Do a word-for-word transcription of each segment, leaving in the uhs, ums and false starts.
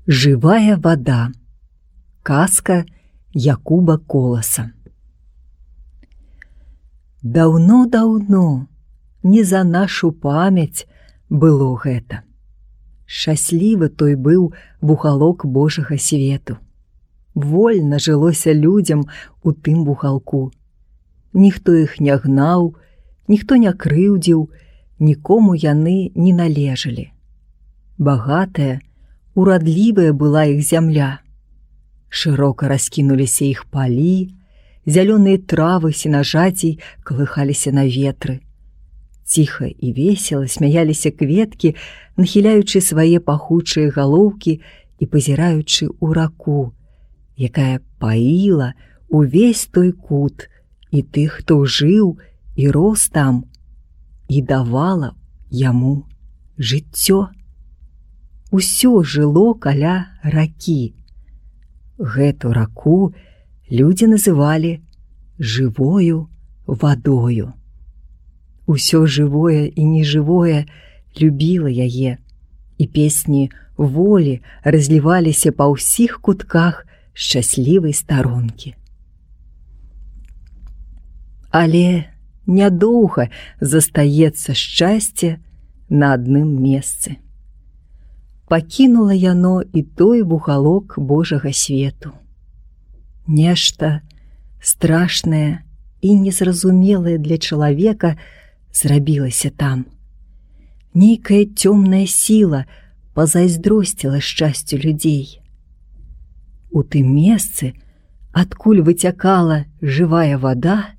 Жывая вада. Казка Якуба Коласа. Даўно-даўно, не за нашу памяць было гэта. Шчаслівы той быў вухалок Божага свету. Вольна жылося людзям у тым вухалку. Ніхто іх не гнаў, ніхто не крыўдзіў, нікому яны не належалі. Багатая, урадлівая была іх зямля. Шырока раскінуліся іх палі, зялёныя травы сенажацей калыхаліся на ветры. Ціха і весела смяяліся кветкі, нахіляючы свае пахучыя галоўкі і пазіраючы ў раку, якая паіла увесь той кут і тых, хто жыў і рос там, і давала яму жыццё. Усё жыло каля ракі. Гэту раку людзі называлі жывою вадою. Усё жывое і нежывое любіла яе, і песні волі разліваліся па ўсіх кутках шчаслівай старонкі. Але нядоўга застаецца шчасце на адным месцы. Пакінула яно і той вухалок Божага свету. Нешта страшнае і незразумелае для чалавека зрабілася там. Нейкая цёмная сіла пазайздросціла шчасцю людзей. У тым месцы, адкуль выцякала жывая вада,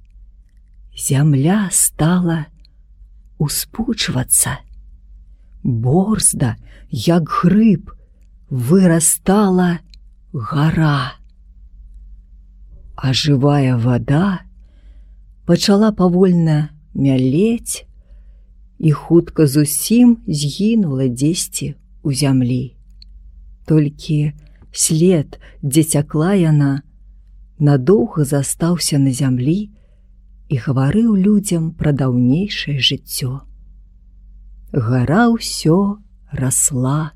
зямля стала успучвацца. Борзда, як грыб, вырастала гара. А жывая вада пачала павольна мялець і хутка зусім згінула дзесьці ў зямлі. Толькі след, дзе цякла яна, надоўга застаўся на зямлі і гаварыў людзям пра даўнейшае жыццё. Гара ўсё расла.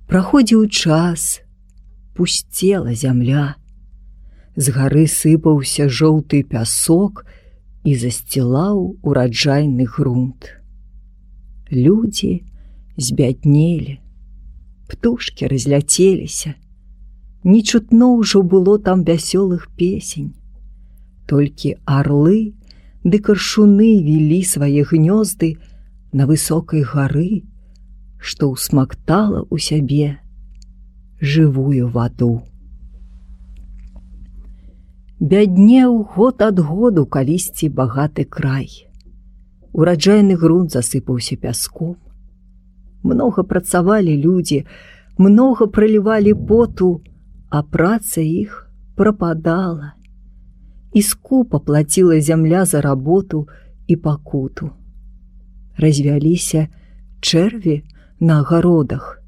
Праходзіў час, пусцела зямля. З гары сыпаўся жоўты пясок і засцілаў ураджайны грунт. Людзі збяднелі, птушкі разляцеліся. Не чутно ўжо было там вясёлых песень. Толькі арлы ды каршуны вілі свае гнёзды на высокай гары, што ўсмактала ў сябе жывую ваду. Бяднеў год ад году калісьці багаты край. Ураджайны грунт засыпаўся пяском. Многа працавалі людзі, многа пралівалі поту, а праца іх прападала. І скупа плаціла зямля за работу і пакуту. Развяліся чэрві на агародах.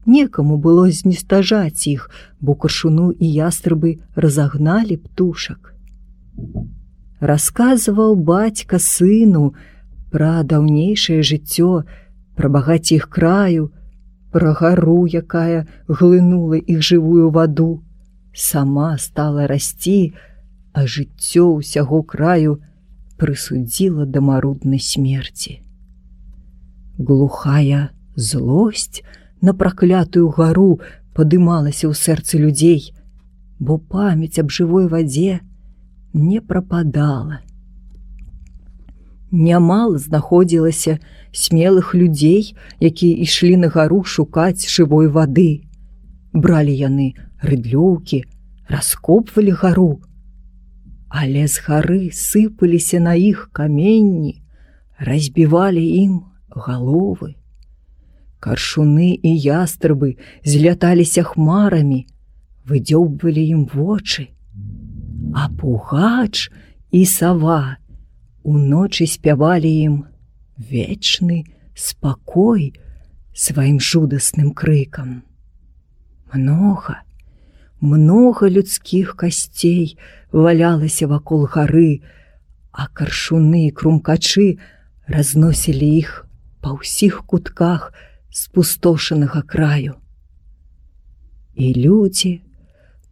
Некаму было знестажаць іх, бо каршуну і ястрабы разагналі птушак. Расказваў бацька сыну пра даўнейшае жыццё, пра багацце іх краю, пра гару, якая глынула іх жывую ваду. Сама стала расці, а жыццё ўсяго краю прысудзіла да маруднай смерці. Глухая злосць на праклятую гару падымалася ў сэрцы людзей, бо памяць аб жывой вадзе не прападала. Нямала знаходзілася смелых людзей, якія ішлі на гару шукаць жывой вады. Бралі яны рыдлёўкі, раскопвалі гару, але з гары сыпаліся на іх каменні, разбівалі ім галовы. Каршуны і ястрабы зляталіся хмарамі, выдзёбвалі ім вочы. А пугач і сава уночы спявалі ім вечны спакой сваім жудасным крыкам. Многа, многа людскіх касцей валялася вакол гары, а каршуны і крумкачы разносілі іх па ўсіх кутках спустошанага краю. і людзі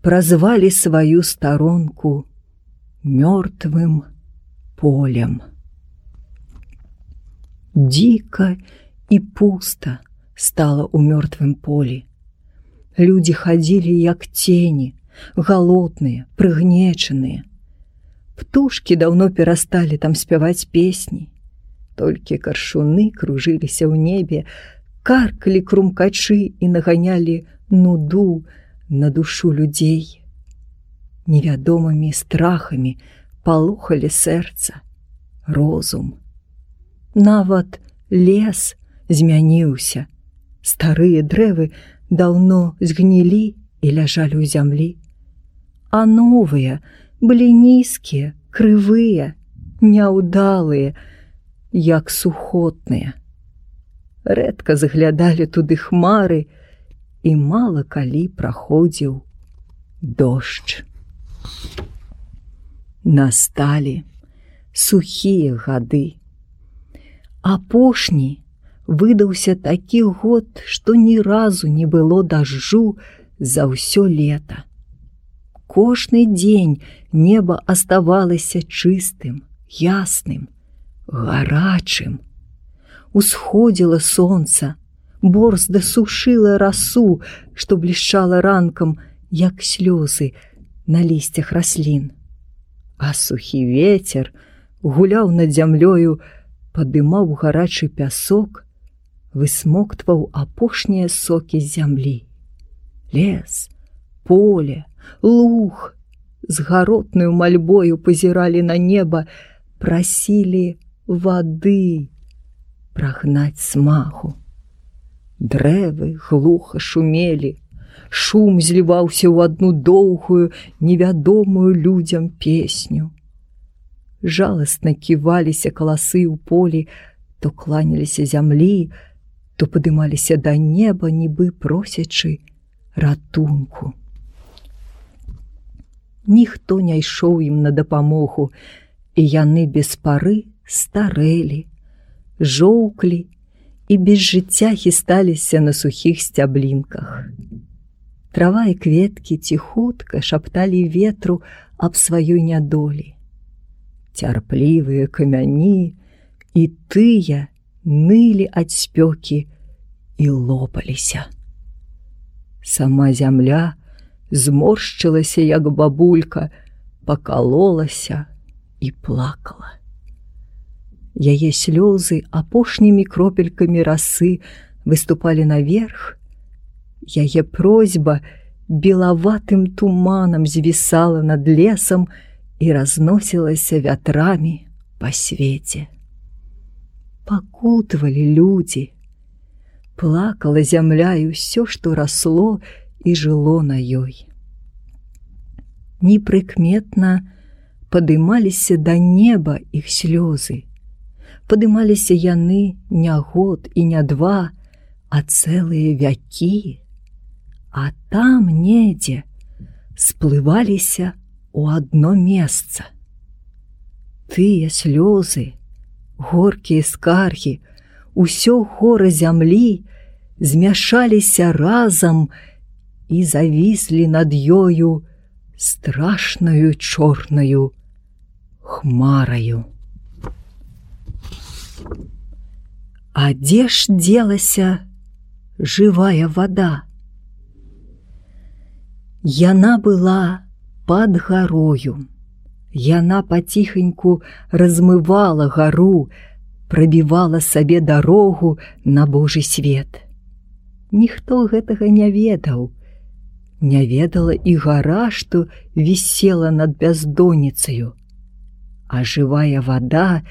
празвалі сваю старонку мёртвым полем. Дзіка і пуста стала ў мёртвым полі. Людзі хадзілі як цені, галодныя, прыгнечаныя. Птушкі даўно перасталі там спяваць песні. Толькі каршуны кружыліся ў небе, каркалі крумкачы і наганялі нуду на душу людзей. Невядомымі страхамі палохалі сэрца, розум. Нават лес змяніўся. Старыя дрэвы даўно згнілі і ляжалі ў зямлі. А новыя былі нізкія, крывыя, няўдалыя, як сухотныя. Рэдка заглядалі туды хмары, і мала калі праходзіў дождж. Насталі сухія гады. Апошні выдаўся такі год, што ні разу не было дажджу за ўсё лета. Кожны дзень неба аставалася чыстым, ясным, гарачым. Усходзіла сонца, борзда сушыла расу, што блішчала ранкам, як слёзы на лісцях раслін. А сухі вецер гуляў над зямлёю, падымаў гарачы пясок, высмоктваў апошнія сокі з зямлі. Лес, поле, луг з гаротнаю мальбою пазіралі на неба, прасілі вады прагнаць смагу. Дрэвы глуха шумелі, шум зліваўся ў адну доўгую, невядомую людзям песню. Жаласна ківаліся каласы ў полі, то кланяліся зямлі, то падымаліся да неба, нібы просячы ратунку. Ніхто не ішоў ім на дапамогу, і яны без пары старэлі, жоўклі і без жыцця хісталіся на сухіх сцяблінках. Трава і кветкі ціхутка шапталі ветру аб сваёй нядолі. Цярплівыя камяні і тыя нылі ад спёкі і лопаліся. Сама зямля зморшчылася, як бабулька, пакалолася і плакала. Яе слёзы апошнімі кропелькамі расы выступалі наверх. Яе просьба белаватым туманам звісала над лесам і разносілася вятрамі па свеце. Пакутвалі людзі. Плакала зямля і ўсё, што расло і жыло на ёй. Непрыкметна падымаліся да неба іх слёзы. Падымаліся яны не год і не два, а цэлыя вякі. А там недзе сплываліся ў адно месца. Тыя слёзы, горкія скаргі, усё гора зямлі змяшаліся разам і завіслі над ёю страшнаю чорнаю хмараю. А дзе ж дзелася жывая вада? Яна была пад гарою. Яна паціханьку размывала гару, прабівала сабе дарогу на Божы свет. Ніхто гэтага не ведаў. Не ведала і гара, што вісела над бяздонніцаю. А жывая вада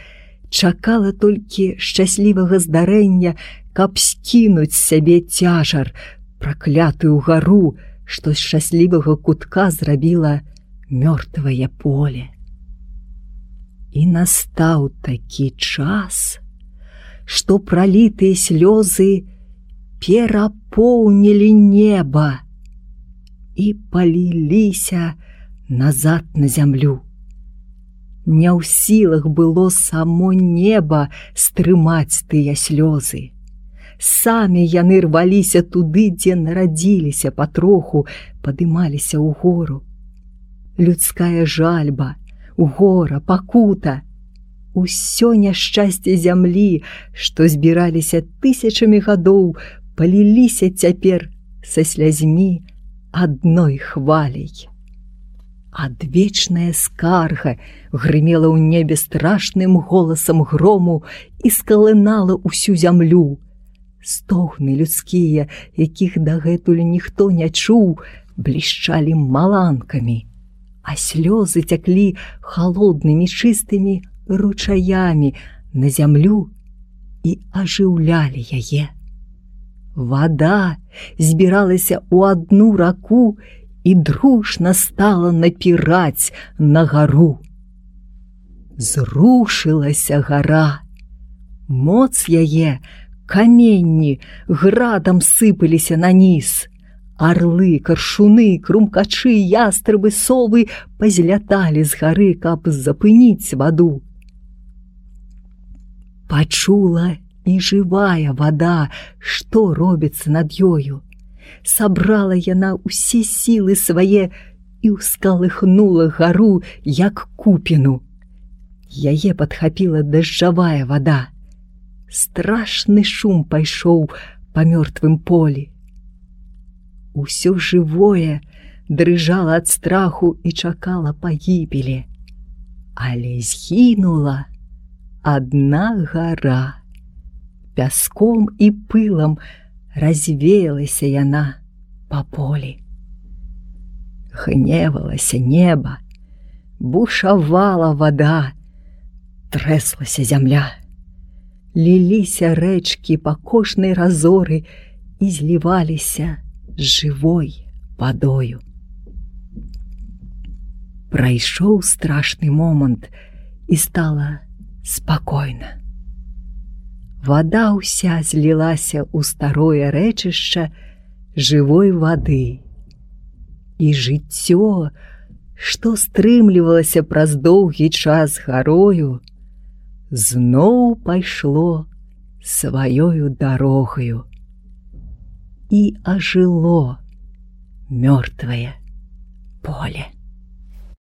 чакала толькі шчаслівага здарэння, каб скінуць з сябе цяжар, праклятую гару, што з шчаслівага кутка зрабіла мёртвае поле. І настаў такі час, што пралітыя слёзы перапоўнілі неба і паліліся назад на зямлю. Не ў сілах было само неба стрымаць тыя слёзы. самі яны рваліся туды, дзе нарадзіліся патроху, падымаліся ў гору. Людская жальба, гора, пакута, усё няшчасце зямлі, што збіраліся тысячамі гадоў, паліліся цяпер са слязьмі адной хваляй. Адвечная скарга грымела ў небе страшным голасам грому і скалынала ўсю зямлю. Стогны людскія, якіх дагэтуль ніхто не чуў, блішчалі маланкамі, а слёзы цяклі халоднымі чыстымі ручаямі на зямлю і ажыўлялі яе. Вада збіралася ў адну раку і дружна стала напіраць на гару. Зрушылася гара. Моц яе, каменні градам сыпаліся на ніз. Арлы, каршуны, крумкачы, ястрабы, совы пазляталі з гары, каб запыніць ваду. Пачула і жывая вада, што робіцца над ёю. Сабрала яна ўсе сілы свае і ўскалыхнула гару, як купіну. Яе падхапіла дажджавая вада. Страшны шум пайшоў па мёртвым полі. Усё жывое дрыжала ад страху і чакала пагібелі. Але згінула адна гара. Пяском і пылам развеялася яна па полі. Гневалася неба, бушавала вада, трэслася зямля. Ліліся рэчкі па кожнай разоры і зліваліся жывой вадою. Прайшоў страшны момант і стала спакойна. Вада ўся злілася ў старое рэчышча жывой вады. І жыццё, што стрымлівалася праз доўгі час гарою, зноў пайшло сваёю дарогаю і ажыло мёртвае поле.